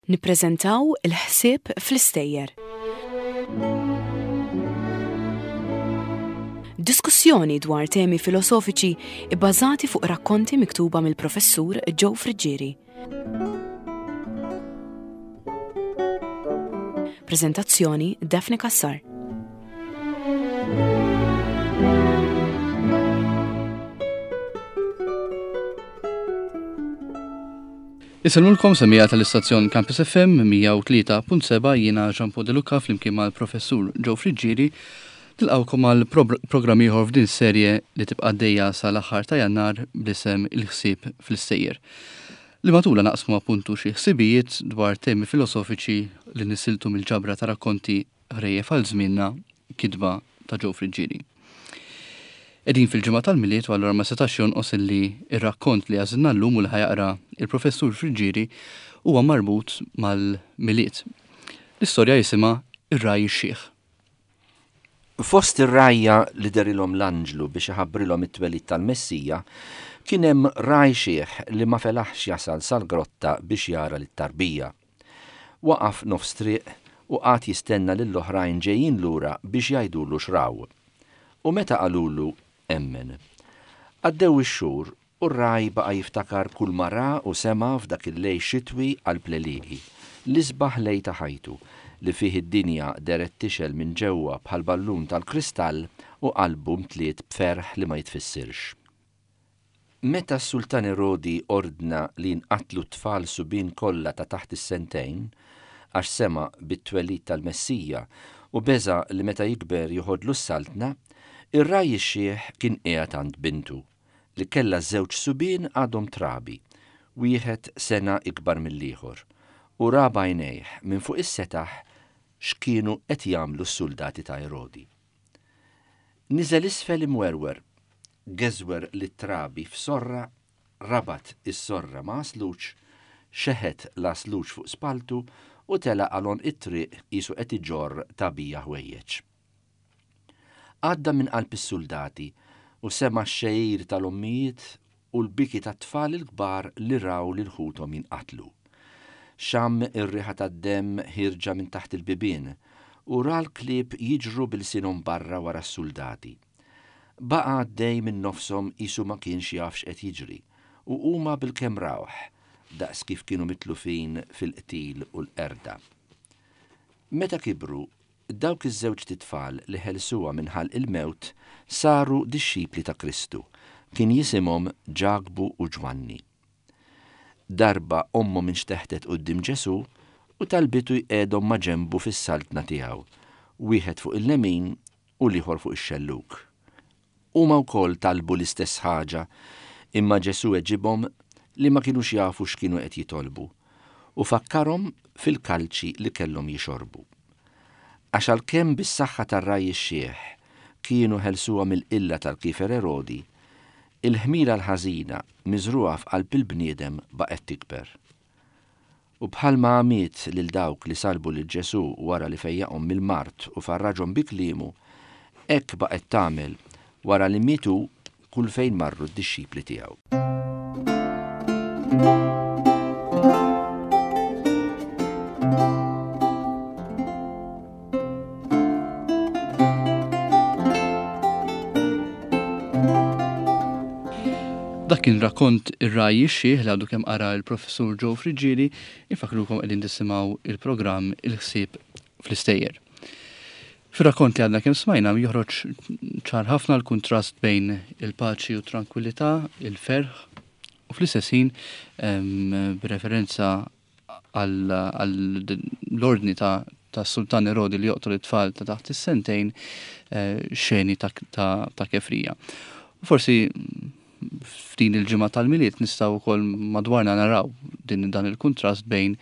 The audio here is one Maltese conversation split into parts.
Nippreżentaw il-ħsieb fl-istejjer. Diskussjoni dwar temi filosofiċi ibbażati fuq rakkonti miktuba mill-Professur Joe Friggieri. Preżentazzjoni Daphne Cassar. Isellmulkom semmiegħa tal-istazzjon Campus FM 103.7 jiena Jean Paul De Luca flimkien mal-Professur Joe Friggieri nilqgħukom għal programm ieħor f'din is-serje li tibqa' għaddejja sal-aħħar ta' Jannar bl-isem Il-Ħsieb fl-Istejjer. Li matulha naqsmu appuntu xi ħsibijiet dwar temi filosofiċi li nisiltu mill-ġabra ta' rakkonti Ħrejjef għal Żmienna kitba ta' Joe Friggieri. Qegħdin fil-ġimgħa tal-Milied u allura ma setax jonqos illi r-rakkont li għażilna llum u li ħa jaqra il-Professur Friggieri huwa marbut mal-Milied. L-istorja jisimha Ir-Ragħaj ix-Xiħ. Fost ir-rgħajja li derilhom l-anġlu biex iħabbrilhom it-twelid tal-Messija, kien hemm ragħaj xiħ li ma felaħx jasal sal-grotta biex jara lit-tarbija. Waqaf nofs triq u qagħad jistenna lill-oħrajn ġejjin lura biex jgħidulu x'raw. U meta qalulu, emmen. Għaddew ix-xhur u r-ragħaj baqa' jiftakar kulma ra u sema' f'dak il-lejl xitwi qalb l-għelieqi, l-isbaħ lejl ta' ħajtu, li fih id-dinja dehret tixgħel minn ġewwa bħal ballun tal-kristall u qalbu mtliet b'ferħ li ma jitfissirx. Meta s-sultan Erodi ordna li jinqatlu t-tfal subien kollha ta' taħt is-sentejn, għax sema' bit-twelid tal-Messija u beża' li meta jikber joħodlu s-saltna, ir-ragħaj ix-xiħ kien qiegħed għand bintu, li kellha żewġ subien għadhom trabi, wieħed sena ikbar mill-ieħor, u ra b'għajnejh minn fuq is-setaħ x'kienu qed jagħmlu s-suldati ta' Erodi. Niżel isfel imwerwer, geżwer lit-trabi f'sorra, rabat is-sorra ma' għasluġ, xeħet l-għasluġ fuq spalltu u telaq għal għonq it-triq qisu qed iġorr tagħbija ħwejjeġ. Għadda minn qalb is-suldati u sema' x-xegħir tal-ommijiet u l-biki tat-tfal il-kbar li raw lil ħuthom jinqatlu. Xamm ir-riħa tad-demm ħierġa minn taħt il-bibien u ra l-klieb jiġru bi lsienhom barra wara s-suldati. Baqa' għaddej minn nofshom qisu ma kienx jaf x'qed jiġri u huma bilkemm rawh, daqs kif kienu mitlufin fil-qtil u l-qerda. Meta kibru, Dawk iż-żewġt itfal li ħelsuha minn ħalq il-mewt saru dixxipli ta' Kristu. Kien jisimhom Ġakbu u Ġwanni. Darba ommhom inxteħtet quddiem Ġesù u talbitu jqiegħdhom maġenbu fis-saltna tiegħu, wieħed fuq il-lemin u l-ieħor fuq ix-xellug. Huma wkoll talbu l-istess ħaġa, imma Ġesù għeġibhom li ma kinux jafu x'kienu qed jitolbu, u fakkarhom fil-kalċi li kellhom jixorbu. Għax għalkemm bis-saħħa tar-ragħaj ix-xiħ kienu ħelsuha mill-qilla tal-kiefer Erodi, il-ħmira l-ħażina miżrugħa f'qalb il-bniedem baqgħet tikber. U bħalma għamiet lil dawk li sallbu lil Ġesù wara li fejjaqhom mill-mard u farraġhom bi kliemu, hekk baqgħet tagħmel wara li miet hu kull fejn marru d-dixxipli tiegħu. Dak kien rakkont ir-ragħaj ix-xiħ li għadu kemm qara l-Professur Joe Friggieri, infakkrukom qegħdin tisimgħu il-programm Il-Ħsieb fl-Istejjer. Fir-rakkont li għadna kemm smajna joħroġ ċar ħafna l-kuntrast bejn il-paċi u t-trankwillità, il-ferħ u fl-istess ħin b'referenza għall-ordni tas-Sultan Erodi li joqtol it-tfal ta' taħt is-sentejn eh, xeni ta' kefrija. Forsi f'din il-ġimgħa tal-Milied nistgħu wkoll madwarna naraw din dan il-kuntrast bejn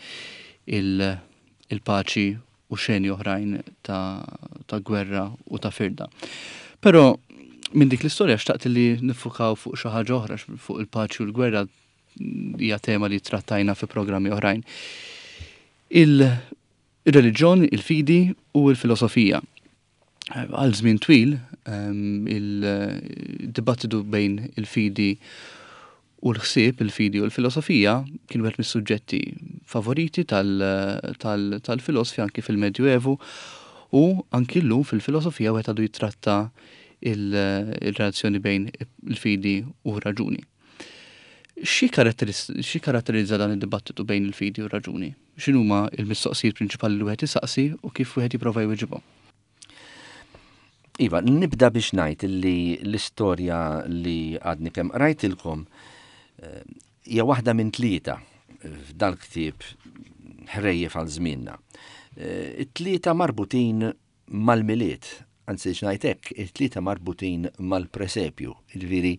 il-paċi u xeni oħrajn ta' gwerra u ta' firda. Però minn dik l-istorja xtaqt li nifukaw fuq xi ħaġa oħra fuq il-paċi u l-gwerra hija tema li trattajna fi programmi oħrajn. Il-reliġjon, il-fidi u l-filosofija. Għal żmien twil, ehm, il-dibattitu bejn il-fidi U l-ħsieb, il-fidi u l-filosofija kien wieħed mis-suġġetti favoriti tal-filosfi anki fil-Medjuevu u anki llum fil-filosofija wieħed għadu jittratta il-relazzjoni bejn il-fidi u r-raġuni. Xi karatterizza dan id-dibattitu bejn il-fidi u r-raġuni? X'inhuma l-mistoqsijiet prinċipali li wieħed isaqsi u kif wieħed jipprova jweġibhom? Iva, nibda biex ngħid li l-istorja li għadni kemm qrajtilkom eh, hija waħda minn tlieta f'dal-ktieb ħrejjef għal żmienna. Eh, it-tlieta marbutin mal-Milied, anzi ngħid hekk, it-tlieta marbutin mal-presepju, jiġifieri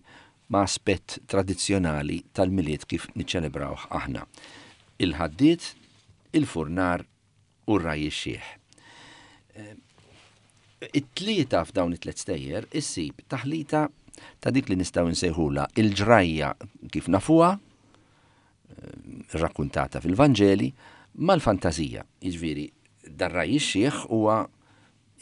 ma' aspett tradizzjonali tal-Milied kif niċċelebrawh aħna. Il-ħaddied, il-furnar u r-ragħaj ix-xiħ. It-tlieta f'dawn it-tliet stejjer issib taħlita ta' dik li nistgħu nsejħulha il-ġrajja kif nafuha, rrakkuntata fil-Vanġeli, mal-fantażija. Jiġifieri, dar-ragħaj ix-xiħ huwa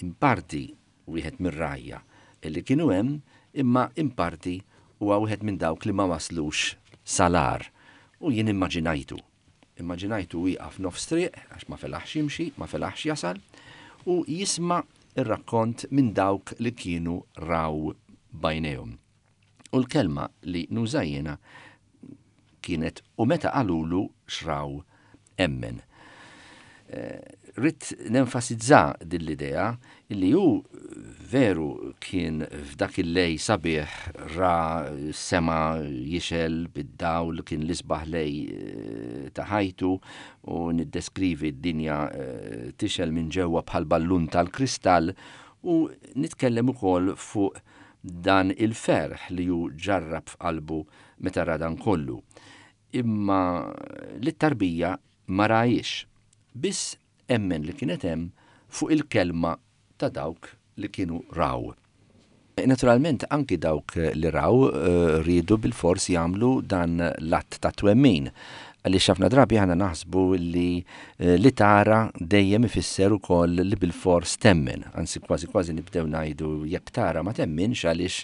in parti wieħed mir-rgħajja li kienu hemm, imma in parti huwa wieħed minn dawk li ma waslux sal-għar. U jien immaġinajtu. Immaġinajtu wieqaf nofs triq għax ma felaħx jimxi, ma felaħx jasal, u jisma' r-rakkont minn dawk li kienu raw b'għajnejhom. U l-kelma li nuża jiena kienet u meta qalulu x'raw emmen. Ridt nenfasizza din l-idea li hu veru kien f'dak il-lej sabiħ ra s-sema jixgħel bid-dawl, kien l-isbaħ lej ta' ħajtu u niddeskrivi d-dinja tixgħel minn ġewwa bħal ballun tal-kristall u nitkellem ukoll fuq dan il-ferħ li hu ġarrab f'qalbu meta ra dan kollu. Imma lit-tarbija ma rahiex, biss emmen li kienet hemm fuq il-kelma ta' dawk li kienu raw. Naturalment anki dawk li raw riedu bilfors jagħmlu dan l-att ta' twemmin, għaliex ħafna drabi aħna naħsbu li li tara dejjem ifisser ukoll li bilfors temmen, anzi kważi kważi nibdew ngħidu jekk tara ma temminx għaliex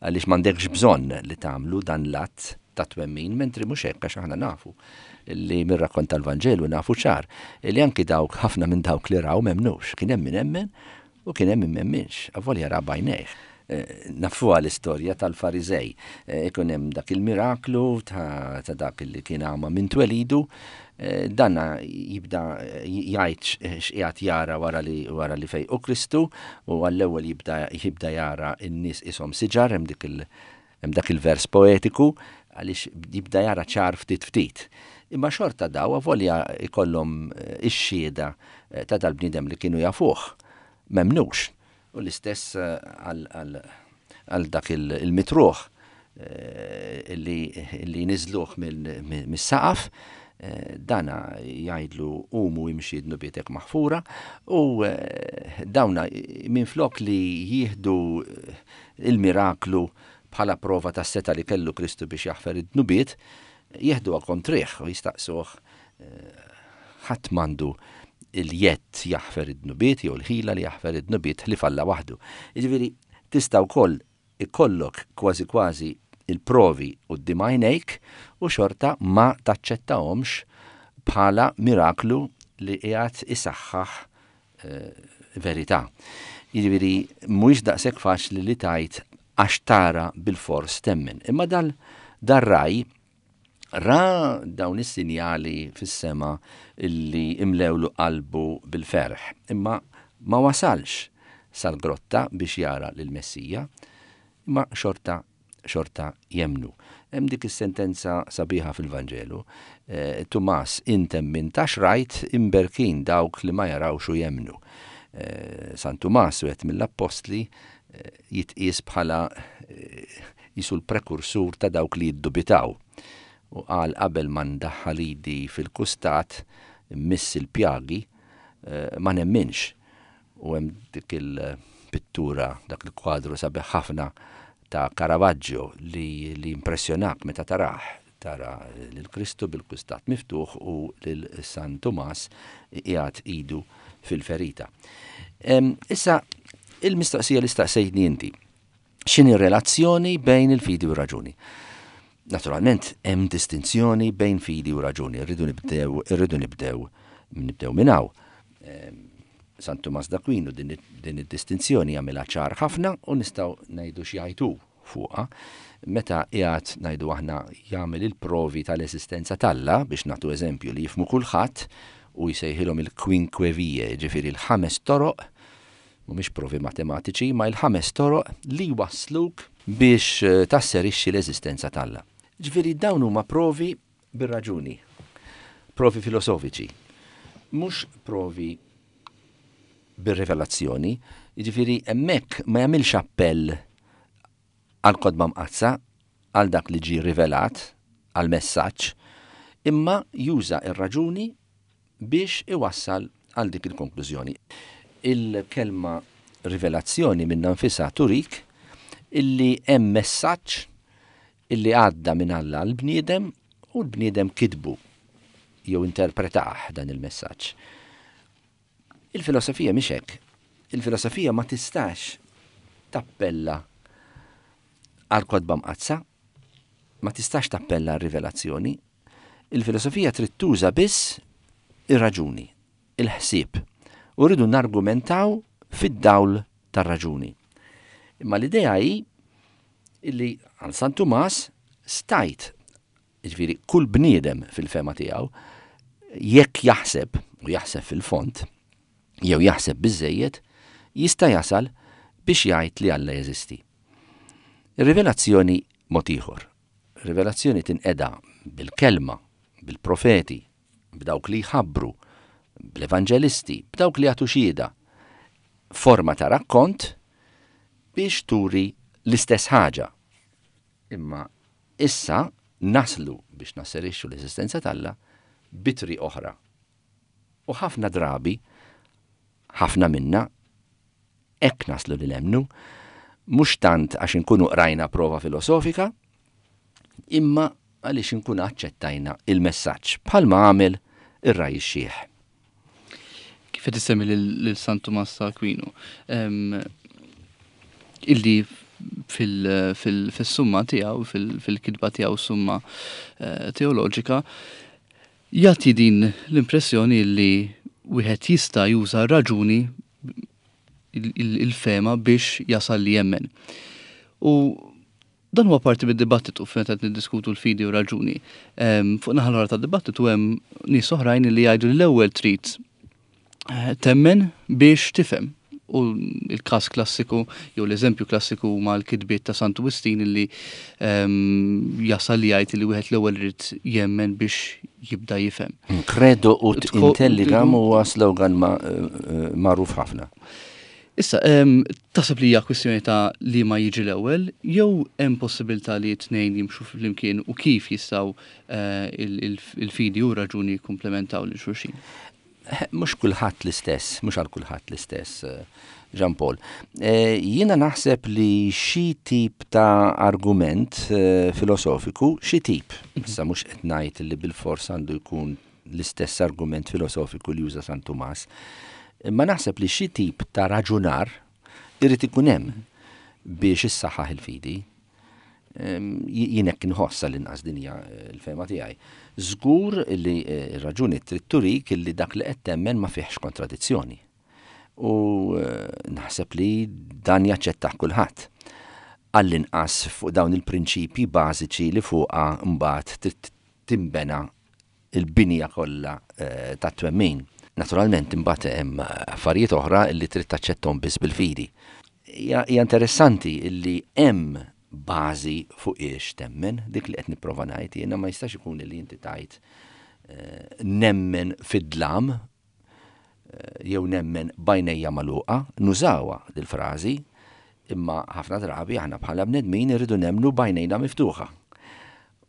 għaliex m'għandekx bżonn li tagħmlu dan l-att ta' twemmin, mentri mhux hekk għax aħna nafu li mir-rakkont tal-Vanġelu nafu ċar li anki dawk ħafna minn dawk li raw m'emmnux. Kien hemm min emmen u kien hemm min m'emminx, avolja ra b'għajnejh. Nafuha l-istorja tal-Fariżej. Ikun hemm dak il-miraklu ta' dak li kien għama minn twelidu, dan jibda jgħid x'qiegħed jara wara li wara li fejqu Kristu u għall-ewwel jibda jibda jara n-nies qishom siġar hemm dik il Hemm dak il-vers poetiku għaliex jibda jara ċar ftit ftit. Imma xorta daw avolja jkollhom ix-xhieda ta' dal-bniedem li kienu jafuh, m'emmnux. U l-istess għal dak il-mitruħ li jniżżluh mis-saqaf, dana jgħidlu qum u imxi dnubietek maħfura, u dawna minflok li jieħdu il-miraklu bħala prova tas-setgħa li kellu Kristu biex jaħfer id-dnubiet, jeħduha kontrih u jistaqsuh, Ħadd m'għandu l-jedd jaħfer id-dnubiet jew l-ħila li jaħfer id-dnubiet ħlief Alla waħdu. Jiġifieri, tista' wkoll ikollok kważi kważi l-provi quddiem għajnejk u xorta ma taċċettahomx bħala miraklu li qiegħed isaħħaħ verità. Jiġifieri mhuwiex daqshekk faċli li tgħid għax tara bilfors temmen. Imma dal dar-ragħaj ra dawn is-sinjali fis-sema li imlewlu qalbu bil-ferħ, imma ma wasalx sal-grotta biex jara lill-Messija, imma xorta xorta jemmnu. Hemm dik is-sentenza sabiħa fil-Vanġelu, Tumas, int emmint għax rajt, imberkin dawk li ma jarawx u jemmnu. San Tumas, wieħed mill-appostli, jitqies bħala qisu l-prekursur ta' dawk li jiddubitaw. U qal qabel ma ndaħħal idi fil-kustat, immiss il-pjagi, ma nemminx. U hemm dik il-pittura, dak il-kwadru sabiħ ħafna ta' Caravaggio li li jimpressjonak meta tarah, tara lil Kristu bil-kustat miftuħ u lil San Tumas qiegħed idu fil-ferita. Issa, il-mistoqsija li staqsejtni inti, x'inhi r-relazzjoni bejn il-fidi u r-raġuni? Naturalment hemm distinzjoni bejn fidi u raġuni, rridu nibdew irridu nibdew nibdew minn hawn. Ehm, San Tumas d'Aquino din id-distinzjoni jagħmilha ċar ħafna u nistgħu ngħidu xi jgħid hu fuqha. Meta qiegħed ngħidu aħna jagħmel il-provi tal-eżistenza t'Alla biex nagħtu eżempju li jifhmu kulħadd u jsejħilhom il-quinque vie, jiġifieri l-ħames toroq Mhumiex provi matematiċi, imma il-ħames toroq li jwassluk biex tasserixxi l-eżistenza t'Alla. Ġifieri dawn huma provi bir-raġuni, provi filosofiċi, mhux provi bir-rivelazzjoni, jiġifieri hemmhekk ma jagħmilx appell għall-Kotba Mqaddsa, għal dak li ġie rivelat, għall-messaġġ, imma juża r-raġuni biex iwassal għal dik il-konklużjoni. Il-kelma rivelazzjoni minnha nfisha turik illi hemm messaġġ illi għadda minn Alla għall-bniedem u l-bniedem kitbu jew interpretah dan il-messaġġ. Il-filosofija mhix hekk. Il-filosofija ma tistax tappella għal kotba mqaddsa, ma tistax tappella għal rivelazzjoni. Il-filosofija trid tuża biss ir-raġuni, il-ħsieb, u rridu nargumentaw fid-dawl tar-raġuni. Imma l-idea hi illi għal San Tumas stajt, jiġifieri kull bniedem fil-fehma tiegħu, jekk jaħseb, u jaħseb fil-fond, jew jaħseb biżżejjed, jista' jasal biex jgħid li Alla jeżisti. Ir-rivelazzjoni mod ieħor. Rivelazzjoni tinqeda bil-kelma, bil-profeti, b'dawk li jħabbru, bl-evanġelisti, b'dawk li jagħtu xhieda. Forma ta' rakkont biex turi l-istess ħaġa. Imma issa naslu biex nasserixxu l-eżistenza t'Alla bi triq oħra. U ħafna drabi, ħafna minna, hekk naslu li nemmnu, mhux tant għax inkunu qrajna prova filosofika, imma għaliex inkunu aċċettajna il-messaġġ, bħalma għamel ir-ragħaj ix-xiħ. Kif qed issemmi lil San Tumas ta' Aquino, illi fil-summa tiegħu, fil-kitba tiegħu summa eh, teoloġika, jagħti din l-impressjoni li wieħed jista' juża raġuni il-fema biex jasal li jemmen. U Dan huwa parti mid-dibattitu meta qed niddiskutu l-fidi u raġuni. Fuq naħa l-oħra tad-dibattitu hemm nies oħrajn li jgħidu li l-ewwel trid eh, temmen biex tifhem. U l-każ klassiku jew l-eżempju klassiku huma l-kitbiet ta' Santu Wistin li jasal li jgħid li wieħed l-ewwel irid jemmen biex jibda jifhem. Credo ut intelligam huwa slogan eh, eh, magħruf ħafna. Issa, taħseb li hija kwistjoni ta' liema jiġi l-ewwel, jew hemm possibilità li t-tnejn jimxu flimkien u kif jistgħu il-fidi u r-raġuni jikkumplementaw lil xulxin? Mhux kulħadd l-istess, mhux għal kulħadd l-istess, Jean Paul. Jiena naħseb li xi tip ta' argument filosofiku, xi tip, issa mhux qed ngħid li bilfors għandu jkun l-istess argument filosofiku li juża San Tumas, imma naħseb li xi tip ta' raġunar irid ikun hemm biex issaħħaħ il-fidi. Jien hekk inħoss għall-inqas din hija eh, l-fehma tiegħi. Żgur li eh, r-raġuni trid turik li dak li qed temmen ma fihx kontradizzjoni. U eh, naħseb li dan jaċċettah kulħadd. Għall-inqas fuq dawn il-prinċipji bażiċi li fuqha mbagħad trid tinbena il-binja kollha tat-twemmin. Naturalment imbagħad hemm affarijiet oħra li trid taċċetthom biss bil-fidi. Hija interessanti li hemm bażi fuq iex temmen, dik li qed nipprova ngħid jiena ma jistax ikun li inti tgħid nemmen fid-dlam jew nemmen b'għajnejja magħluqa, nużawha dil-frażi, imma ħafna drabi aħna bħala bnedmin irridu nemmnu b'għajnejna miftuħa.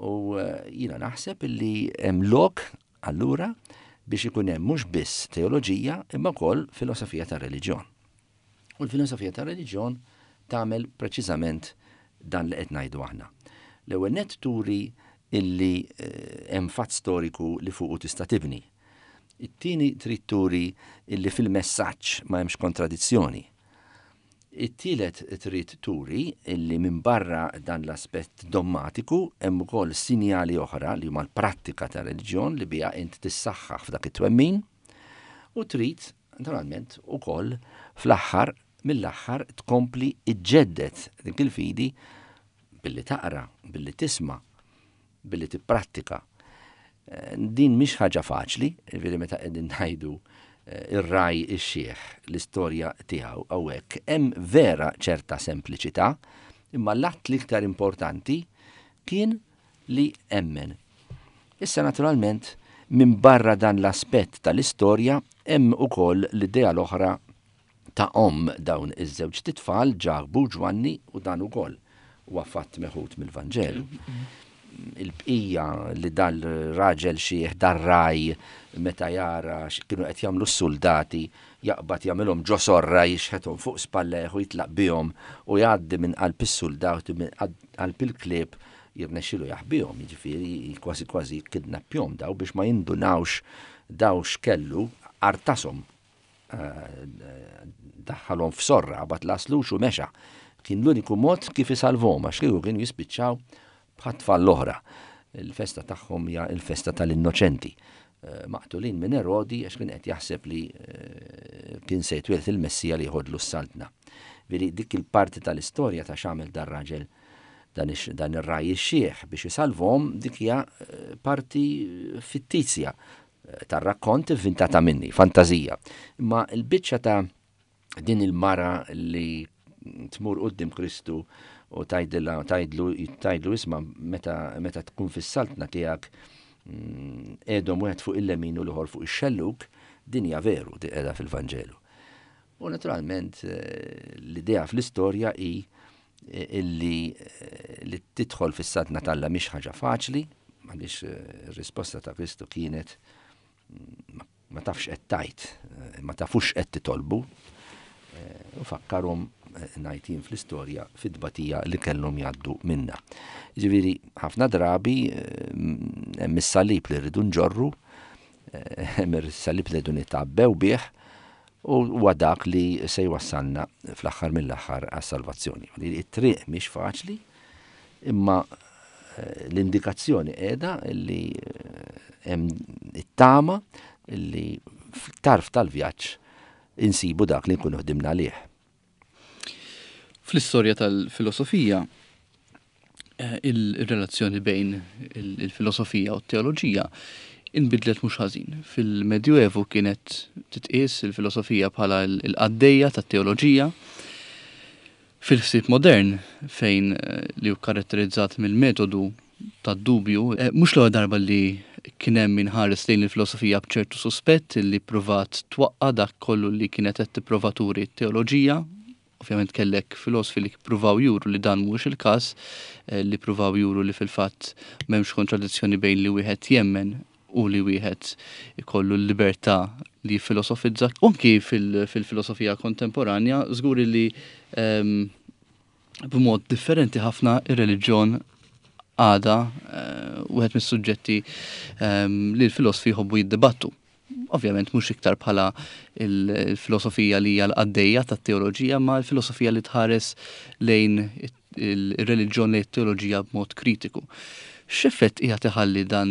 U eh, jiena naħseb illi hemm lok allura biex ikun hemm mhux biss teoloġija imma wkoll filosofija tar-reliġjon. U l-filosofija tar-reliġjon tagħmel preċiżament dan li qed ngħidu aħna. L-ewwel nett turi illi eh, hemm fatt storiku li fuqu tista' tibni. It-tieni trid turi illi fil-messaġġ ma hemmx kontradizzjoni. It-tielet trid turi li minbarra dan l-aspett dommatiku hemm ukoll sinjali oħra li huma l-prattika tar-reliġjon li biha int tissaħħaħ f'dak it-twemmin u trid naturalment ukoll fl-aħħar mill-aħħar tkompli ġġedded dik il-fidi billi taqra, billi tisma', billi tipprattika. Din mhix ħaġa faċli, jiġifieri meta qegħdin ngħidu ir-ragħaj ix-xiħ, l-istorja tiegħu hawnhekk hemm vera ċerta sempliċità, imma l-att l-iktar importanti kien li emmen. Issa naturalment minbarra dan l-aspett tal-istorja hemm ukoll l-idea l-oħra ta' omm dawn iż-żewġt itfal, Ġakbu u Ġwanni, u dan ukoll huwa fatt meħud mill-Vanġelu. Il-bqija li dal-raġel xiħ, dar-ragħaj, meta jara x'kienu qed jagħmlu s-suldati, jaqbad jagħmilhom ġo sorra, jixħethom fuq spallejh u jitlaq bihom u jgħaddi minn qalb is-suldati, minn qalb il-klieb, jirnexxilu jaħbihom, jiġifieri kważi kważi jikkidnappjhom daw biex ma jindunawx daw x'kellu, qartashom daħħalhom f'sorra, qabad l-għaslux u mexa. Kien l-uniku mod kif isalvhom għax kieku kienu jispiċċaw bħat-tfal l-oħra. Il-festa tagħhom hija l-festa tal-innoċenti. Eh, maqtulin minn Erodi għax kien qed jaħseb li eh, kien se jitwieled il-Messija li jħodlu s-saltna. Veri dik il-parti tal-istorja ta' x'għamel dar-raġel dan ir-raj ix-xiħ biex isalvhom dik hija eh, parti fittizja tar-rakkont ivvintata minni, fantażija. Imma l-biċċa ta' din il-mara li tmur quddiem Kristu u tgħidilha tgħidlu tgħidlu isma' meta meta tkun fis-saltna tiegħek mm, qiegħdhom wieħed fuq il-lemin u l-ieħor fuq ix-xellug, din hija veru di qiegħda fil-Vanġelu. U naturalment eh, l-idea fl-istorja hi illi li tidħol fis-Saltna t'Alla mhix ħaġa faċli, għaliex eh, ir-risposta ta' Kristu kienet mm, ma tafx qed tajt, eh, ma tafux qed titolbu. Eh, u fakkarhom ngħid jien fl-istorja fit-tbatija li kellhom jgħaddu minna. Ġifieri ħafna drabi hemm is-salib li rridu nġorru, hemm is-salib li rridu nitgħabbew bih, U huwa dak li se jwassalna fl-aħħar mill-aħħar għas-salvazzjoni. It-triq mhix faċli, imma eh, l-indikazzjoni qiegħda li eh, hemm it-tama li tarf tal-vjaġġ insibu dak li nkunu ħdimna għalih. Fl-istorja tal-filosofija, eh, il-relazzjoni bejn il-filosofija u t-teoloġija inbidlet mhux ħażin. Fil-Medjuevu kienet titqies il-filosofija bħala l-qaddejja tat-teoloġija. Fil-ħsieb modern, fejn eh, li hu karatterizzat mill-metodu tad-dubju, eh, mhux l-ewwel darba li kien hemm min ħares lejn il-filosofija b'ċertu suspett li ppruvat twaqqa' dak kollu li kienet qed tipprova turi t-teoloġija. Ovvjament kellek filosfi li ppruvaw juru li dan mhuwiex il-każ, eh, li ppruvaw juru li fil-fatt m'hemmx kontradizzjoni bejn li wieħed jemmen u li wieħed ikollu l-libertà li jiffilosofizza. U anki fil-filosofija kontemporanja żgur li ehm, b'mod differenti ħafna ir-reliġjon għada eh, wieħed mis-suġġetti ehm, li l-filosfi jħobbu jiddibattu. Ovvjament mhux iktar bħala il-filosofija li hija l-qaddejja tat-teoloġija, ma l-filosofija li tħares lejn ir-reliġjon lejn it-teoloġija b'mod kritiku. X'effett qiegħed iħalli dan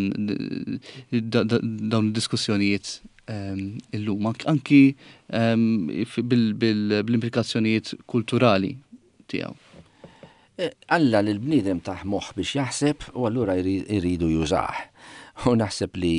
dawn id-diskussjonijiet ehm, illum, anki ehm, bil-implikazzjonijiet kulturali tiegħu? Eh, Alla lil bniedem tah moħħ biex jaħseb u allura jridu jużah. U naħseb li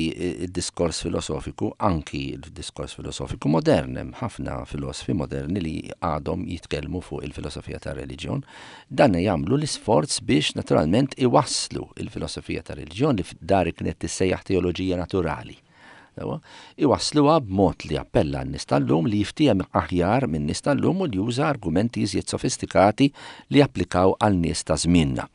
d-diskors filosofiku, anki d-diskors filosofiku modern, hemm ħafna filosofi moderni li għadhom jitkellmu fuq il-filosofija tar-reliġjon, dan jagħmlu l-isforz biex naturalment iwasslu il-filosofija tar-reliġjon li f'dari kienet tissejjaħ teoloġija naturali. Iwassluha b'mod li jappella għan-nies tal-lum, li jiftiehem aħjar min-nies tal-lum u li juża argumenti iżjed sofistikati li japplikaw għal nies ta' żmienna.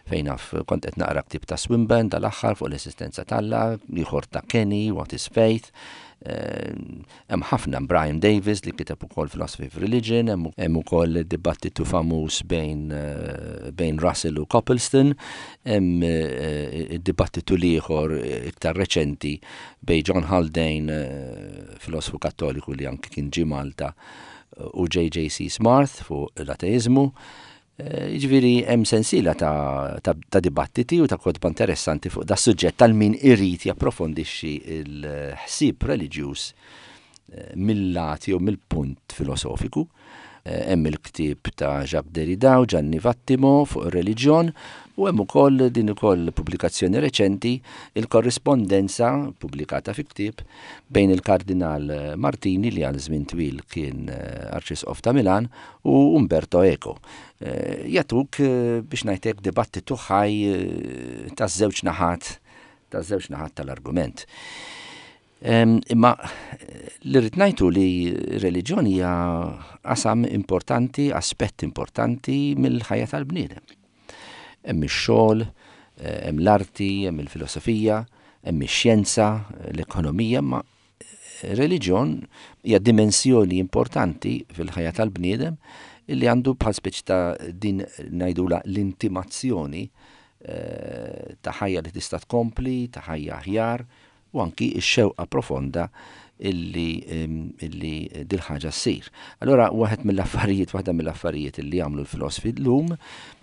Fejn naf, kont qed naqra ktieb ta' Swinburne dal-aħħar fuq l-esistenza t'Alla, ieħor ta' Kenny, What is Faith, Hemm ħafna, hemm Brian Davis li kiteb ukoll Philosophy of Religion, hemm ukoll dibattitu famuż bejn bejn Russell u Copleston, hemm id-dibattitu l-ieħor iktar reċenti bejn John Haldane, filosfu Kattoliku li anki kien ġie Malta, u JJC Smart fuq l-ateiżmu. Eh, jiġifieri hemm sensiela ta', ta, ta dibattiti u ta' kotba interessanti fuq da suġġett tal min irid japprofondixxi l-ħsieb reliġjuż eh, mill-lat jew mill-punt filosofiku. Eh, hemm il-ktieb ta' Jacques Derrida u Gianni Vattimo fuq ir-reliġjon u hemm ukoll din ukoll pubblikazzjoni reċenti il-korrispondenza pubblikata fi ktieb bejn il-Kardinal Martini li għal żmien twil kien eh, Arċisqof ta' Milan u Umberto Eco. Eh, jagħtuk biex ngħidlek dibattitu ħaj taż-żewġ naħat taż-żewġ naħat tal-argument. Imma li rrid ngħid hu li r-reliġjon hija qasam importanti, aspett importanti mill-ħajja tal-bniedem. Hemm ix-xogħol, eh, hemm l-arti, hemm il-filosofija, hemm ix-xjenza, l-ekonomija, imma reliġjon hija dimensjoni importanti fil-ħajja tal-bniedem illi għandu bħal speċi ta' din ngħidula l-intimazzjoni eh, ta' ħajja li tista' tkompli, ta' ħajja aħjar, u anki x-xewqa profonda illi illi dil-ħaġa ssir. Allura waħed mill-affarijiet, waħda mill-affarijiet illi jagħmlu l-filosfi llum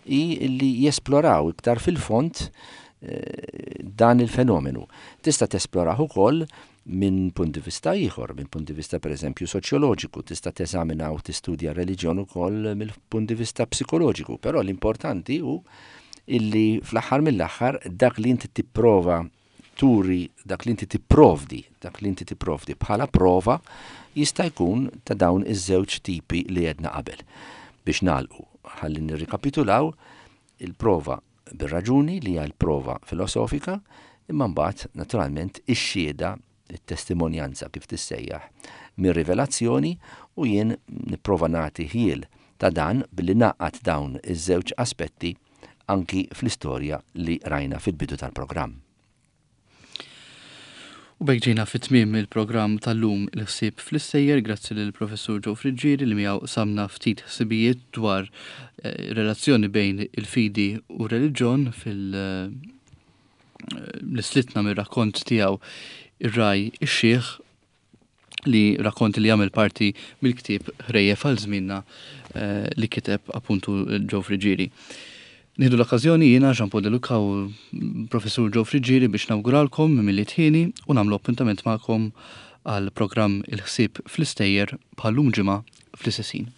hi illi jesploraw iktar fil-fond eh, dan il-fenomenu. Tista' tesplorah ukoll minn punt di vista ieħor, minn punt di vista pereżempju soċjoloġiku, tista' teżamina u tistudja r-reliġjon ukoll mill-punt di vista psikoloġiku, però l-importanti hu illi fl-aħħar mill-aħħar dak li inti tipprova turi dak li inti tipprovdi, dak li inti tipprovdi bħala prova jista' jkun ta' dawn iż-żewġ tipi li għedna qabel. Biex nagħlqu, ħalli nirrikapitulaw il-prova bir-raġuni li hija l-prova filosofika, imma mbagħad naturalment ix-xhieda, it-testimonjanza kif tissejjaħ mir-rivelazzjoni u jien nipprova nagħti ħjiel ta' dan billi ngħaqqad dawn iż-żewġ aspetti anki fl-istorja li rajna fil-bidu tal-programm. U b'hekk ġejna fi tmiem il-programm tal-lum Il-Ħsieb fl-Istejjer, grazzi lill-Professur Joe Friggieri li miegħu qsamna ftit ħsibijiet dwar eh, relazzjoni bejn il-fidi u r-reliġjon fil- eh, li slitna mir-rakkont tiegħu ir-raj ix-xiħ li rakkont li jagħmel parti mill-ktieb Ħrejjef għal Żmienna eh, li kiteb appuntu Joe Friggieri. Nieħdu l-okkażjoni jiena Jean Paul De Luca u Professur Joe Friggieri biex nawguralkom Milied ħieni u nagħmlu appuntament magħkom għal programm Il-Ħsieb fl-Istejjer bħal-lum ġimgħa fl-istess ħin.